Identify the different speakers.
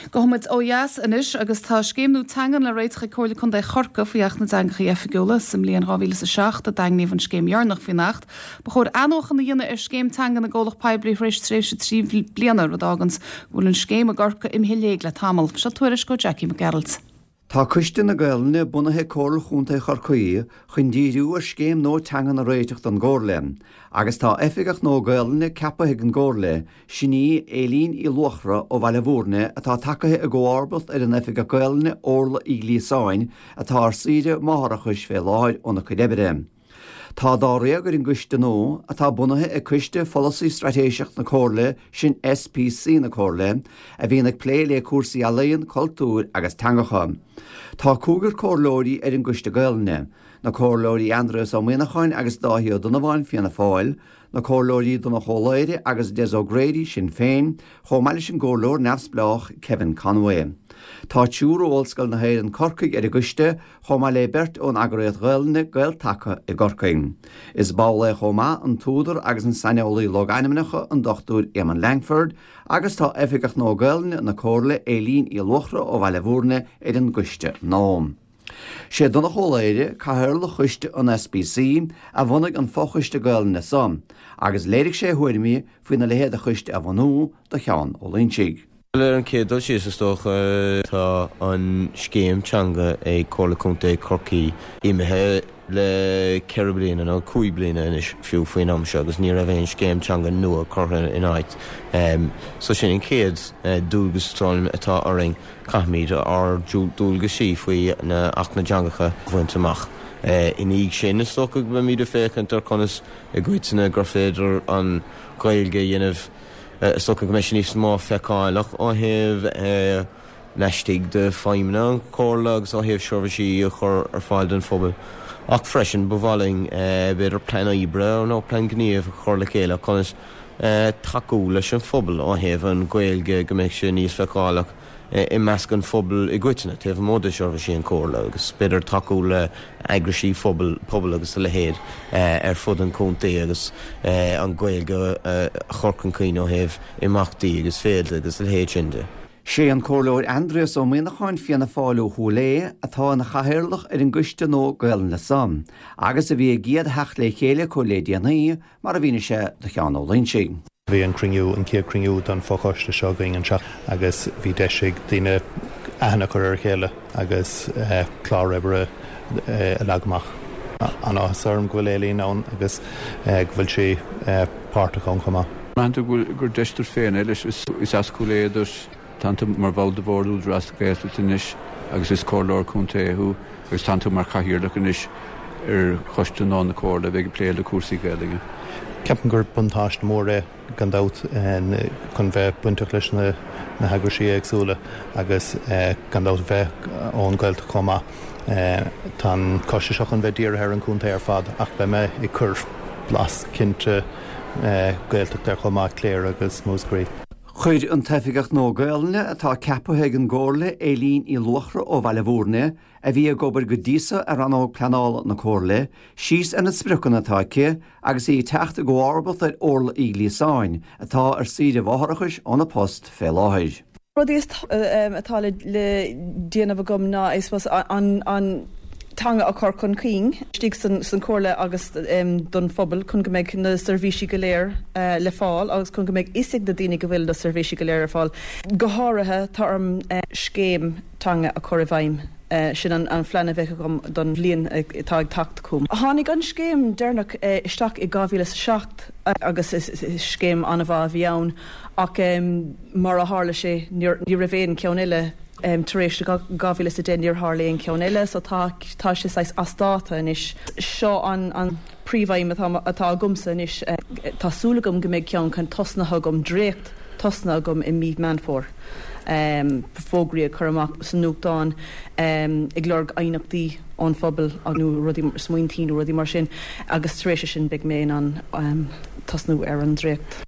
Speaker 1: Gabhfaidh muid ó dheas anois agus tá scéim nua teangan le réiteach ag Comhairle Contae Chorcaí faoi Acht na dTeangacha Oifigiúla. Sa mbliain 2007 a daingníodh an scéim dheireanach faoin Acht. Ba chóir athnuachan a dhéanamh ar scéim teanga na gcomhlacht poiblí tar éis tréimhse 3 bliana, rud a fháganns go bhfuil an scéim i gCorcaigh imithe i léig le tamall. Seo tuairisc ó Jackie Mac Gearailt.
Speaker 2: Tá Coiste na Gaelainne bunaithe ag Comhairle Chontae Chorcaí chun díriú ar scéim nua teangan a réiteach don gComhairle agus tá Oifigeach nua Gaelainne ceaptha ag an gComhairle, sin í Éilín Uí Luachra ó Bhaile Bhúirne atá tagaithe i gcomharbacht ar an Oifigeach Gaelainne Órla Uí Ghliasáin atá ar saoire máithreachais fé láthair óna cuid oibre. Tá dáréag ar an gcoiste nua, atá bunaithe ag Coiste Pholasaí Straitéiseach na Comhairle, sin SPC na Comhairle, a bhíonn ag plé le cúrsaí ealaíon, cultúir agus teangacha. Tá cúigear comhairleoirí ar an gCoiste Gaelainne, na Comhairleoirí Aindrias Ó Muíneacháin agus Dáithí Ó Donnabháin, Fianna Fáil, na Comhairleoirí Donncha Ó Laoghaire agus Des O'Grady, Sinn Féin, chomh maith leis an gComhairleoir neamhspleách Kevin Conway. Tá triúr ó Ollscoil na hÉireann Corcaigh ar an gcoiste, chomh maith le beirt ón eagraíocht Ghaelainne Gael-Taca i gCorcaigh. Is ball é chomh maith an t-údar agus an saineolaí logainmneacha an Dr Éamonn Langford agus tá Oifigeach nua Gaelainne na Comhairle Éilín Uí Luachra ó Bhaile Bhúirne ar an gcoiste nua. Sé Donncha Ó Laoghaire, Cathaoirleach Choiste an SPC, a bhunaigh an fochoiste Gaelainne so agus léirigh sé a thuairimí faoina leithéid de choiste a bhunú do Sheán Ó Loingsigh.
Speaker 3: Bhuel, ar an chéad dul síos, is dócha, tá an scéim teanga ag Comhairle Contae Chorcaí imithe le ceithre bliana, nó cúig bliana anois fiú faoin am seo, agus ní raibh aon scéim teanga nua curtha in áit. So sin an chéad dualgas atá orainn, caithfimid ár ndualgaisí faoi Acht na dTeangacha a bhaint amach. Ina dhiaidh sin, is dócha go mbeimid ag féachaint ar conas i gcoitinne gur féidir an Ghaeilge a dhéanamh, Is dócha go mbeidh sé níos mó feiceálach ó thaobh laistigh de feidhmeanna an Chomhairle agus ó thaobh seirbhísí a chur ar fáil don phobal. Ach freisin ba mhaith linn b'fhéidir plean oibre nó plean gníomh a chur le chéile conas tacú leis an phobal ó thaobh an Ghaeilge go mbeidh sé níos feiceálach i measc an phobail i gcoitinne, taobh amuigh de sheirbhísí an Chomhairle agus b'fhéidir tacú le heagraisí phobail, pobail agus a leithéid ar fud an chontae agus an Ghaeilge a chur chun cinn ó thaobh imeachtaí agus féilte agus a leithéid sin de.
Speaker 2: Sé an Comhairleoir Aindrias Ó Muíneacháin, Fianna Fáil ó Chúil Aodha, atá ina chathaoirleach ar an gcoiste nua Gaelainne so, agus a bhí a gcéad theacht le chéile acu le déanaí, mar a mhínigh sé do Sheán Ó Loingsigh.
Speaker 4: Bhí an cruinniú, an chéad chruinniú don fochoiste seo againn anseo agus bhí deis ag daoine aithne a chur ar a chéile agus clár oibre a leagadh amach. An-áthas orm go bhfuil Éilín ann agus go bhfuil sí páirteach ann chomh maith.
Speaker 5: Measann tú gur deis duit féin é leis? Is as Cúil Aodha duit, tánn tú mar bhall de Bhord Údarás na Gaeltachta anois agus is Comhairleoir Contae thú agus tánn tú mar Chathaoirleach anois ar Choiste nua na Comhairle a bheidh ag plé le cúrsaí Gaeilge.
Speaker 4: Ceapaim gur buntáiste mór é gan dabht chun bheith bainteach leis na heagraisí éagsúla agus gan dabht bheith ón Ghaeltacht chomh maith. Tá an coiste seo chun bheith dírithe ar an chontae ar fad ach beidh mé ag cur blas cinnte Gaeltachta air chomh maith, Cléire agus Múscraí.
Speaker 2: Chuir an tOifigeach nua Gaelainne atá ceaptha ag an gComhairle, Éilín Uí Luachra ó Bhaile Bhúirne, a bhí ag obair go dtí so ar Rannóg Pleanála na Comhairle, síos ar na spriocanna atá aici agus í ag teacht i gcomharbacht ar Órla Uí Ghliasáin, atá ar saoire mháithreachais óna post fé láthair.
Speaker 6: Rudaí atá le déanamh agam ná I suppose an teanga a chur chun cinn istigh san Chomhairle agus don phobal chun go mbeidh na seirbhísí go léir le fáil agus chun go mbeidh fhios ag na daoine go bhfuil na seirbhísí go léir ar fáil. Go háirithe tá orm scéim teanga a chur i bhfeidhm. Sin an phlean a bheidh agam don bhliain atá ag teacht chugam. Tháinig an scéim deireanach isteach i 2007 agus is scéim an-mhaith a bhí ann ach Mar a tharla sé, ní raibh aon cheann eile tar éis 2010, níor tharla aon cheann eile, so tá tá sé saghas as dáta anois. Seo an príomhaidhm atá atá agamsa anois. Tá súil agam go mbeidh ceann chun tosnaithe agam, dréacht tosnaithe agam i mí Meán Fómhair. Fógraí a chur amach sa nuachtán ag lorg aighneachtaí ón phobal nó rudaí, smaointí nó rudaí mar sin agus tar éis sin beidh mé in ann tosnú ar an dréacht.